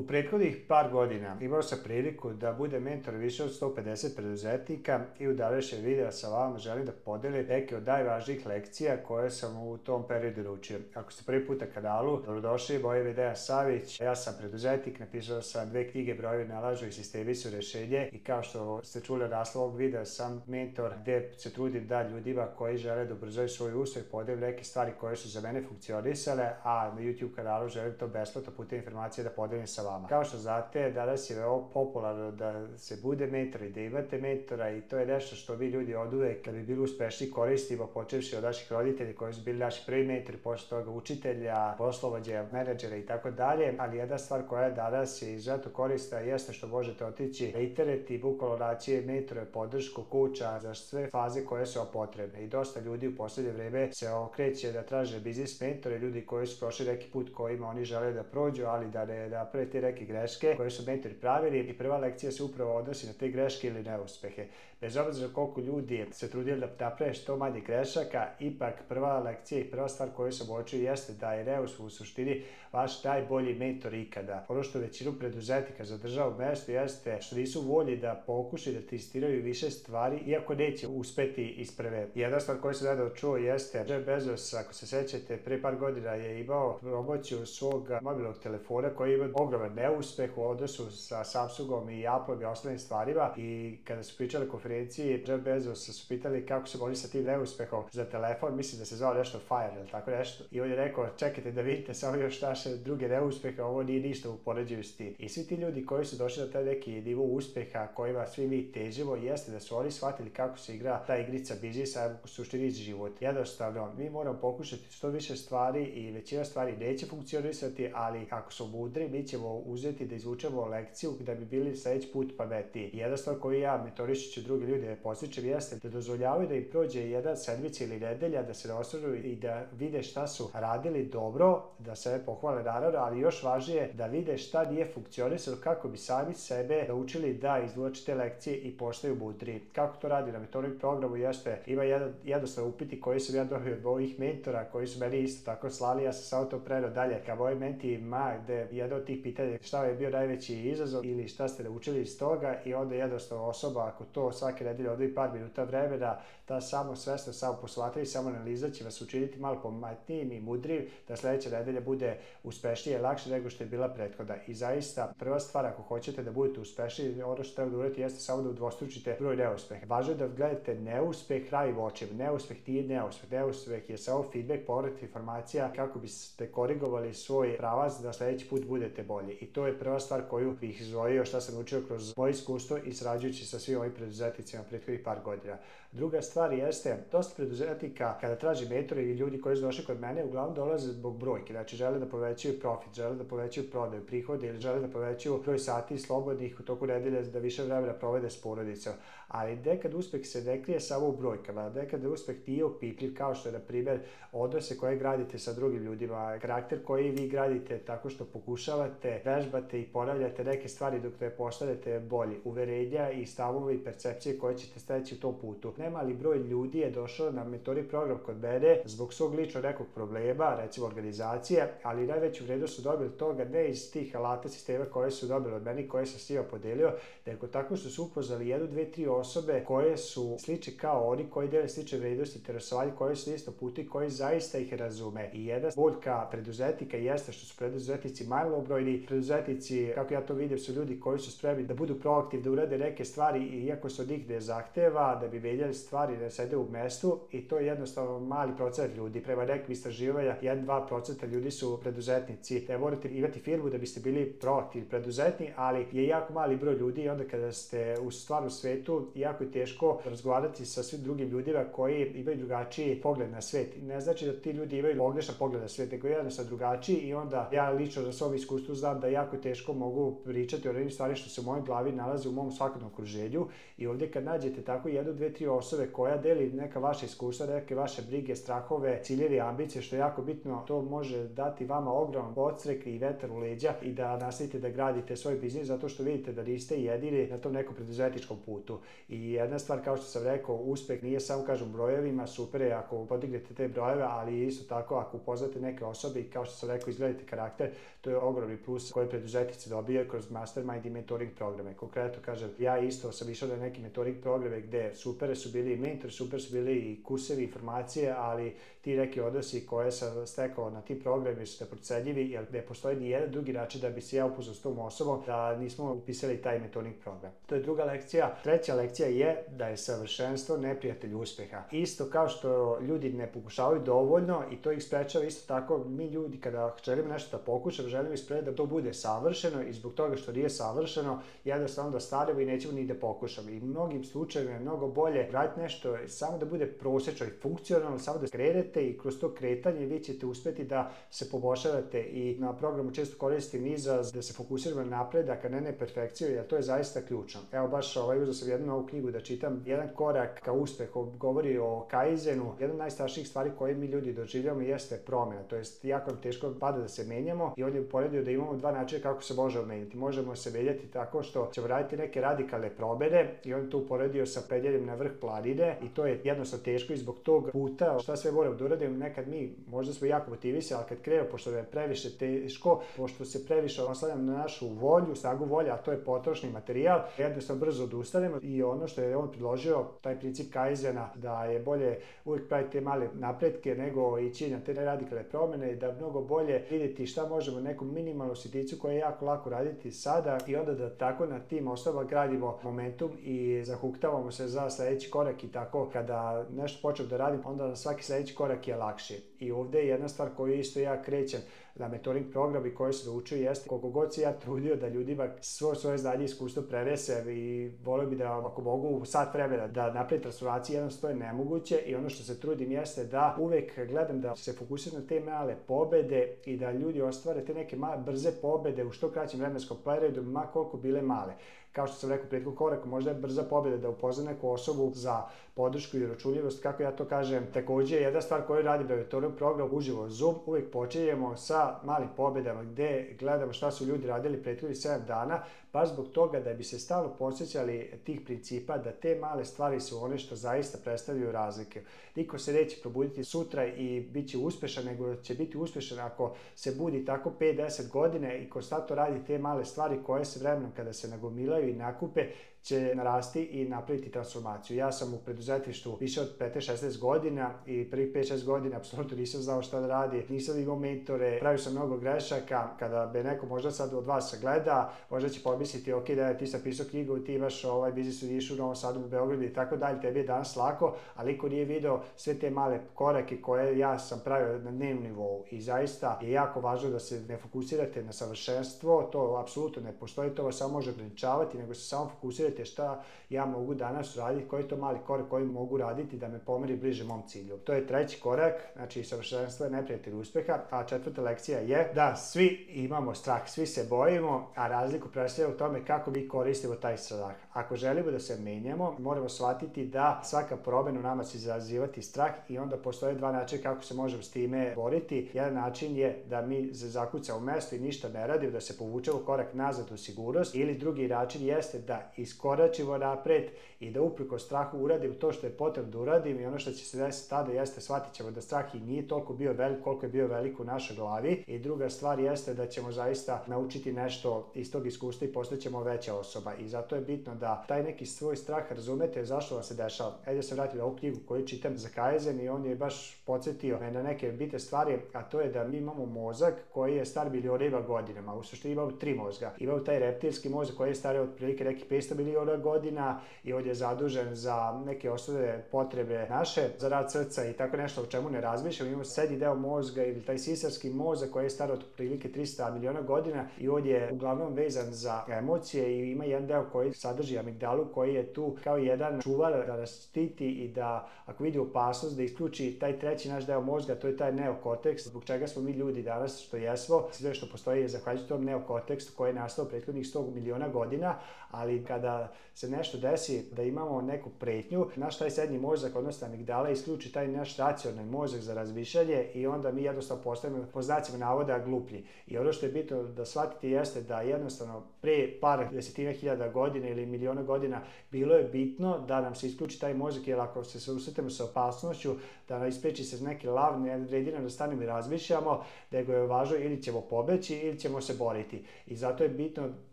prethodnih par godina imao sam priliku da budem mentor više od 150 preduzetnika i u današnjem videu sa vama želim da podelim neke od najvažnijih lekcija koje sam u tom periodu naučio. Ako ste prvi put na kanalu, dobrodošli, moje ime je Dejan Savić, ja sam preduzetnik, napisao sam 2 knjige Brojevi nalažu i Sistemi su rešenje i kao što ste čuli od naslova ovog videa sam mentor gde se trudim da ljudima koji žele da ubrzaju svoj uspeh podelim neke stvari koje su za mene funkcionisale, a na YouTube kanalu želim to besplatno putem informacije da podelim sa vama. Kao što znate, danas je veoma popularno da se bude mentor i da imate mentora i to je nešto što mi ljudi oduvek da bi bili uspešni koristimo, počevši od naših roditelja koji su bili naši prvi mentori, posle toga učitelja, poslovođa, menadžera i tako dalje, ali jedna stvar koja je danas izuzetno korisna jeste što možete otići na internet i bukvalno naći mentore, podršku, kuća za sve faze koje su vam potrebne. I dosta ljudi u poslednje vreme se okreće da traže biznis mentore, ljudi koji su prošli neki put kojima oni žele da prođu, ali da ne naprave te neke greške koje su mentori pravili i prva lekcija se upravo odnosi na te greške ili neuspehe. Bez obzira koliko ljudi se trudili da naprave što manje grešaka, ipak prva lekcija i prva stvar koju sam uočio jeste da je neuspeh u suštini vaš najbolji mentor ikada. Ono što većinu preduzetnika zadržava u mestu jeste što nisu volji da pokušaju da testiraju više stvari, iako neće uspeti iz prve. Jedna stvar koju sam nedavno čuo jeste Jeff Bezos, ako se sećate, pre par godina je imao promociju svog mobilnog telefona koji ima ogroman neuspeh u odnosu sa Samsungom i Appleom i ostalim stvarima, i kada su pričali na konferenciji Jeff Bezos su pitali kako se boli sa tim neuspehom za telefon, mislim da se zvao nešto Fire ili tako nešto, i on je rekao čekajte da vidite samo još naše druge neuspehe, ovo nije ništa u poređenju s tim. I svi ti ljudi koji su došli na taj neki nivo uspeha kojima svi mi težimo jeste da su oni shvatili kako se igra ta igrica biznisa, u suštini život. Jednostavno, mi moramo pokušati što više stvari i većina stvari neće funkcionisati, ali ako smo mudri, mi ćemo uzeti da izvučemo lekciju da bi bili sledeći put pametniji. Jedna stvar koju ja mentorišući drugi ljudi postičem jeste da dozvoljavaju da im prođe jedan sedmica ili nedelja, da se naosvrnu i da vide šta su radili dobro, da se pohvale naravno, ali još važnije da vide šta nije funkcionisalo kako bi sami sebe naučili da izvuče te lekcije i postaju mudri. Kako to radi na mentoring programu jeste, ima jednostavno upiti koji sam ja dobio od mojih mentora koji su meni isto tako slali, ja sam samo to preneo dalje ka mojim mentima, gde jedno od tih pitanja šta je bio najveći izazov ili šta ste naučili iz toga, i onda jednostavno osoba ako to svake nedelje odvoji par minuta vremena, ta samo svesno, samo posmatranje, samo analiza će vas učiniti malo pametnijim i mudrijim da sledeća nedelja bude uspešnije i lakše nego što je bila prethodna. I zaista prva stvar ako hoćete da budete uspešniji, ono što treba da uradite jeste samo da udvostručite broj neuspeha. Važno je da gledate neuspeh pravim očima. Neuspeh nije neuspeh. Neuspeh je samo feedback, povrat informacija kako biste korigovali svoj pravac da sledeći put budete bolji. I to je prva stvar koju bih izdvojio šta sam učio kroz moje iskustvo i sarađujući sa svim ovim preduzetnicima prethodnih par godina. Druga stvar jeste, dosta preduzetnika kada traži mentora ili ljudi koji su došli kod mene uglavnom dolaze zbog brojke, znači žele da povećaju profit, žele da povećaju prodaju, prihode ili žele da povećaju broj sati slobodnih u toku nedelje da više vremena provede s porodicom. Ali nekad uspeh se ne krije samo u brojkama, nekad uspeh nije opipljiv, kao što je na primjer odnose koje gradite sa drugim ljudima, karakter koji vi gradite tako što pokušavate, vežbate i ponavljate neke stvari dok ne postanete bolji, uverenja i stavove i percepcije koje ćete steći u tom putu. Nemali broj ljudi je došao na mentoring program kod mene zbog svog ličnog nekog problema, recimo organizacije, ali najveću vrednost su dobili toga ne iz tih alata sistema koje su dobili od meni, koje sam s njima podelio, nego tako što su upoznali 1, 2, 3 osobe koje su slične kao oni, koji dele slične vrednosti, interesovanje, koje su isto puti, koji zaista ih razume. I jedna boljka preduzetnika jeste što su preduzetnici malobrojni. Preduzetnici, kako ja to vidim, su ljudi koji su spremni da budu proaktivni, da urade neke stvari iako se od njih ne zahteva, da bi menjali stvari, da sede u mestu, i to je jednostavno mali procenat ljudi. Prema nekim istraživanja 1-2% ljudi su preduzetnici. Ne morate imati firmu da biste bili proaktivni preduzetni, ali je jako mali broj ljudi i onda kada ste u stvarnom svetu jako je teško razgovarati sa svim drugim ljudima koji imaju drugačiji pogled na svet. Ne znači da ti ljudi imaju pogrešan pogled na svet, nego jednostavno drugačiji, i onda ja lično na svom iskustvu znam da jako teško mogu pričati o onim stvari što se u mojoj glavi nalaze u mom svakodnevnom okruženju, i ovdje kad nađete tako 1, 2, 3 osobe koja deli neka vaša iskustva, neke vaše brige, strahove, ciljevi, ambicije, što je jako bitno, to može dati vama ogroman podstrek i vetar u leđa i da nastavite da gradite svoj biznis zato što vidite da niste jedini na tom nekom preduzetničkom putu. I jedna stvar, kao što sam rekao, uspeh nije samo kažem brojevima, super je ako podignete te brojeve, ali isto tako ako upoznate neke osobe i kao što sam rekao izgledate karakter, to je ogromni plus koje preduzetnici dobijaju kroz mastermind i mentoring programe. Konkretno kažem, ja isto sam išao na neki mentoring programe gde super su bili i mentori, super su bili i kursevi, informacije, ali ti neki odnosi koje sam stekao na tim programima su neprocenljivi, jer ne postoji ni jedan drugi način da bi se ja upoznao s tom osobom da nismo upisali taj mentoring program. To je druga lekcija. Treća lekcija je da je savršenstvo neprijatelj uspeha. Isto kao što ljudi ne pokušavaju dovoljno i to ih sprečava, isto tako mi ljudi kada želimo nešto da pokušamo, želimo ispred da to bude savršeno i zbog toga što nije savršeno, jednostavno da stanemo i nećemo ni da pokušamo. I u mnogim slučajevima je mnogo bolje raditi nešto samo da bude prosečno i funkcionalno, samo da krenete i kroz to kretanje vi ćete uspeti da se poboljšavate i na programu često koristim izraz da se fokusiramo na napredak, a ne na perfekciju, jer to je zaista ključno. Evo baš uzeo sam jednu novu knjigu da čitam, jedan korak ka uspehu, govori o kaizenu. Jedna od najstrašnijih stvari koje mi ljudi doživljamo jeste promjena, to jest jako nam teško pada da se menjamo i on je uporedio da imamo dva načina kako se možemo menjati. Možemo se menjati tako što ćemo raditi neke radikalne promjene i on to uporedio sa penjanjem na vrh planine i to je jednostavno teško i zbog tog puta šta sve moramo da uradimo. Nekad mi možda smo jako motivisani, ali kad krenemo, pošto je previše teško, pošto se previše oslanjamo na našu volju, snagu volje, a to je potrošni materijal, jednostavno brzo odustanemo i ono što je on predložio, taj princip kaizena, da je bolje uvijek praviti te male napretke nego ići na te radikalne promjene i da mnogo bolje vidjeti šta možemo neku minimalnu sitnicu koja je jako lako raditi sada i onda da tako na tim osnovama gradimo momentum i zahuktavamo se za sljedeći korak i tako kada nešto počnem da radim, onda svaki sljedeći korak je lakši. I ovdje je jedna stvar koju isto ja krećem na mentoring program i koji se učio jeste koliko god se ja trudio da ljudima svoje znanje i iskustvo prenese i volio bi da ako mogu u sat vremena da napravi transformaciju, jednostavno je nemoguće i ono što se trudim jeste da uvek gledam da se fokusiram na te male pobede i da ljudi ostvare te neke male brze pobede u što kraćem vremenskom periodu, ma koliko bile male. Kao što sam rekao u prethodnom koraku, možda je brza pobjeda da upozna neku osobu za podršku i uračunljivost, kako ja to kažem. Također, jedna stvar koju radim na mentoring programu uživo Zoom, uvijek počinjemo sa malim pobjedama gdje gledamo šta su ljudi radili prethodnih 7 dana, baš zbog toga da bi se stalno podsjećali tih principa, da te male stvari su one što zaista predstavljaju razlike. Niko se neće probuditi sutra i bit će uspešan, nego će biti uspešan ako se budi tako 5-10 godine i konstantno radi te male stvari koje se vremenom kada se nagomilaju i nakupe će narasti i napraviti transformaciju. Ja sam u preduzetništvu više od 15-16 godina i prvih 5-6 godina apsolutno nisam znao šta da radi, nisam imao mentore, pravio sam mnogo grešaka. Kada me neko možda sad od vas gleda, možda će pomisliti ok, da ti sam pisao knjigu, ti imaš biznis u Nišu, u Novom Sadu, u Beogradu i tako dalje, tebi je danas lako, ali niko nije video sve te male korake koje ja sam pravio na dnevnom nivou i zaista je jako važno da se ne fokusirate na savršenstvo, to apsolutno ne postoji, to vas samo može ograničavati, nego se samo fokusirate šta ja mogu danas raditi, koji je to mali korak koji mogu raditi da me pomeri bliže mom cilju. To je treći korak, znači savršenstvo je neprijatelj uspeha, a četvrta lekcija je da svi imamo strah, svi se bojimo, a razliku predstavlja u tome kako mi koristimo taj strah. Ako želimo da se menjamo, moramo shvatiti da svaka promjena u nama će izazivati strah i onda postoje dva načina kako se možemo s time boriti. Jedan način je da mi se zakucamo u mesto i ništa ne radimo, da se povučemo korak nazad u sigurnost, ili drugi način jeste da iskoračimo napred i da uprkos strahu uradim to što je potrebno da uradim i ono što će se desiti tada jeste shvatit ćemo da strah i nije toliko bio velik koliko je bio velik u našoj glavi i druga stvar jeste da ćemo zaista naučiti nešto iz tog iskustva i postaćemo veća osoba i zato je bitno da taj neki svoj strah razumete zašto vam se dešava. Ja se vratim na ovu knjigu koju čitam za Kaizen i on je baš podsjetio me na neke bitne stvari, a to je da mi imamo mozak koji je star milionima godinama, u suštini imamo 3 mozga. Imamo taj reptilski mozak koji je star otprilike nekih 500 miliona godina i on je zadužen za neke osnovne potrebe naše, za rad srca i tako nešto o čemu ne razmišljamo. Imamo srednji deo mozga ili taj sisarski mozak koji je star otprilike 300 miliona godina i on je uglavnom vezan za emocije i ima jedan deo koji sadrži amigdalu koji je tu kao jedan čuvar da nas štiti i da ako vidi opasnost da isključi taj treći naš deo mozga, to je taj neokorteks, zbog čega smo mi ljudi danas što jesmo, sve što postoji je zahvaljujući tom neokorteksu koji je nastao prethodnih 100 miliona godina, ali kada kada se nešto desi, da imamo neku pretnju, naš taj srednji mozak, odnosno amigdala, isključi taj naš racionalni mozak za razmišljanje i onda mi jednostavno postajemo, po znacima navoda, gluplji. I ono što je bitno da shvatite jeste da jednostavno pre par desetina hiljada godina ili miliona godina bilo je bitno da nam se isključi taj mozak, jer ako se susretemo sa opasnošću, da nam ispriči se neki lav, ne vredi nam da stanemo i razmišljamo, nego je važno ili ćemo pobeći ili ćemo se boriti. I zato je bitno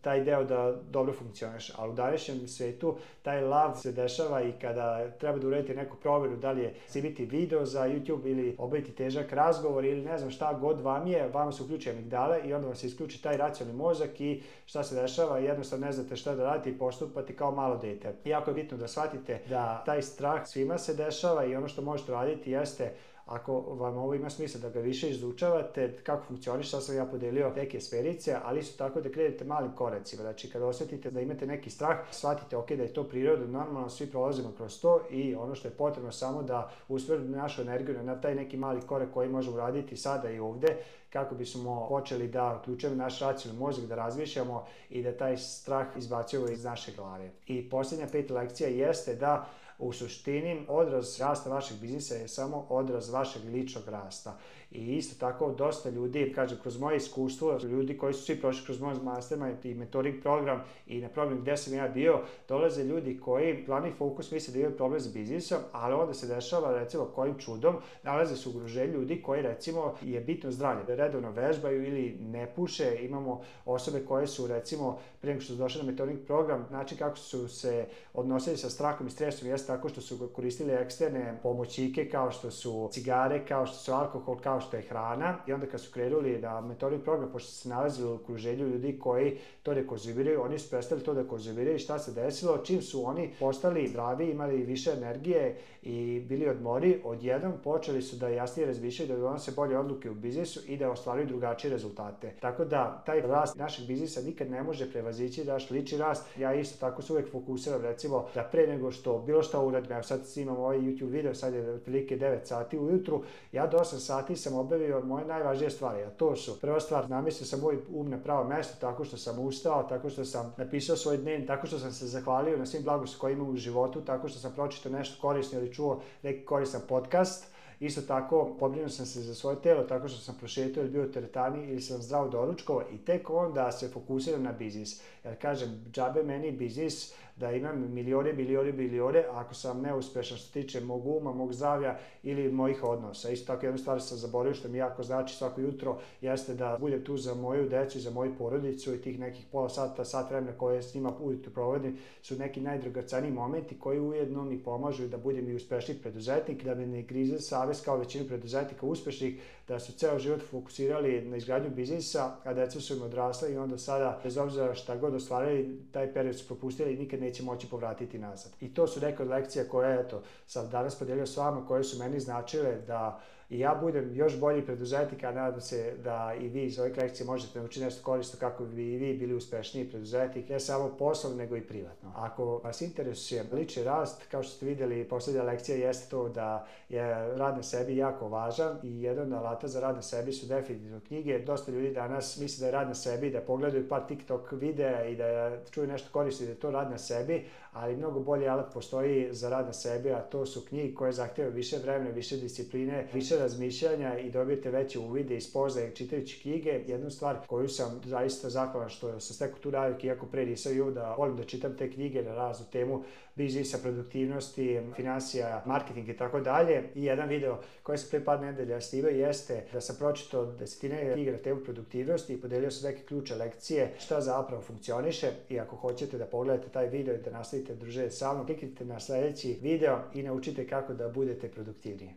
taj deo da dobro funkcioniše. Ali u današnjem svetu taj lav se dešava i kada treba da uradite neku provjeru, da li je snimiti video za YouTube ili obaviti težak razgovor ili ne znam šta god vam je, vama se uključi amigdala i onda vam se isključi taj racionalni mozak i šta se dešava, jednostavno ne znate šta da radite i postupate kao malo dete. Jako je bitno da shvatite da taj strah svima se dešava i ono što možete raditi jeste, ako vam ovo ima smisla da ga više izučavate, kako funkcioniše, sad sam ja podelio neke sferice, ali isto tako da krenete malim koracima. Znači, kada osjetite da imate neki strah, shvatite da je to prirodno, normalno, svi prolazimo kroz to i ono što je potrebno samo da usmjerimo našu energiju na taj neki mali korak koji možemo raditi sada i ovde, kako bismo počeli da uključujemo naš racionalni mozak, da razmišljamo i da taj strah izbacujemo iz naše glave. I posljednja 5. lekcija jeste da u suštini odraz rasta vašeg biznisa je samo odraz vašeg ličnog rasta. I isto tako dosta ljudi, kažem, kroz moje iskustvo, ljudi koji su svi prošli kroz moj mastermind i mentoring program i na program gde sam ja bio, dolaze ljudi koji glavni fokus misle da imaju problem s biznisom, ali onda se dešava, recimo, kojim čudom nalaze se u okruženju ljudi koji, recimo, je bitno zdravlje, redovno vežbaju ili ne puše. Imamo osobe koje su, recimo, pre nego što su došli na mentoring program, način kako su se odnosili sa strahom i stresom jeste tako što su koristili eksterne pomoćnike kao što su cigare, kao što su alkohol, kao što je hrana. I onda kad su krenuli na mentoring program, pošto se nalazili u okruženju ljudi koji to ne konzumiraju, oni su prestali to da konzumiraju. I šta se desilo? Čim su oni postali zdravi, imali više energije i bili odmori, odjednom počeli su da jasnije razmišljaju, da donose bolje odluke u biznisu i da ostvaruju drugačije rezultate. Tako da taj rast našeg biznisa nikad ne može prevazići naš lični rast. Ja isto tako se uvek fokusiram, recimo, da pre nego što bilo šta uradim, evo sad snimam ovaj YouTube video, sad je otprilike 9 sati ujutru, ja do 8 sati sam obavio moje najvažnije stvari, a to su: prva stvar, namestio sam moj um na pravo mesto tako što sam ustao, tako što sam napisao svoj dnevnik, tako što sam se zahvalio na svim blagostima koje imam u životu, tako što sam pročitao nešto korisno ili čuo neki koristan podcast. Isto tako, pobrinuo sam se za svoje telo tako što sam prošetao ili bio u teretani ili sam zdravo doručkovao i tek onda se fokusiram na biznis. Jer kažem, džabe meni biznis da imam milione, ako sam neuspešan što se tiče mog uma, mog zdravlja ili mojih odnosa. Isto tako, jednu stvar sam zaboravio što mi jako znači svako jutro jeste da budem tu za moju decu i za moju porodicu i tih nekih pola sata, sat vremena koje s njima ujutro provodim su neki najdragoceniji momenti koji ujedno mi pomažu da budem i uspešniji preduzetnik, da me ne grize savest kao većinu preduzetnika uspešnih, da su ceo život fokusirali na izgradnju biznisa, a deca su im odrasla i onda sada, bez obzira šta god ostvarili, taj period su propustili i nikad neće moći povratiti nazad. I to su neke od lekcija koje, eto, sam danas podelio s vama, koje su meni značile da i ja budem još bolji preduzetnik, a nadam se da i vi iz ove lekcije možete naučiti nešto korisno kako bi i vi bili uspešniji preduzetnik, ne samo poslovno, nego i privatno. Ako vas interesuje lični rast, kao što ste videli, poslednja lekcija jeste to da je rad na sebi jako važan i jedan od alata za rad na sebi su definitivno knjige. Dosta ljudi danas misle da je rad na sebi, da pogledaju par TikTok videa i da čuju nešto korisno i da je to rad na sebi, ali mnogo bolji alat postoji za rad na sebi, a to su knjige koje zahtevaju više vremena, više discipline, više razmišljanja i dobijete veće uvide i spoznaje čitajući knjige. Jednu stvar koju sam zaista zahvalan što sam stekao tu navik, iako pre nisam imao, da volim da čitam te knjige na raznu temu biznisa, produktivnosti, finansija, marketing i tako dalje. I jedan video koji sam pre par nedelja snimao jeste da sam pročitao desetine knjiga na temu produktivnosti i podelio sam neke ključe lekcije šta zapravo funkcioniše. I ako hoćete da pogledate taj video i da nastavite druženje sa mnom, kliknite na sledeći video i naučite kako da budete produktivniji.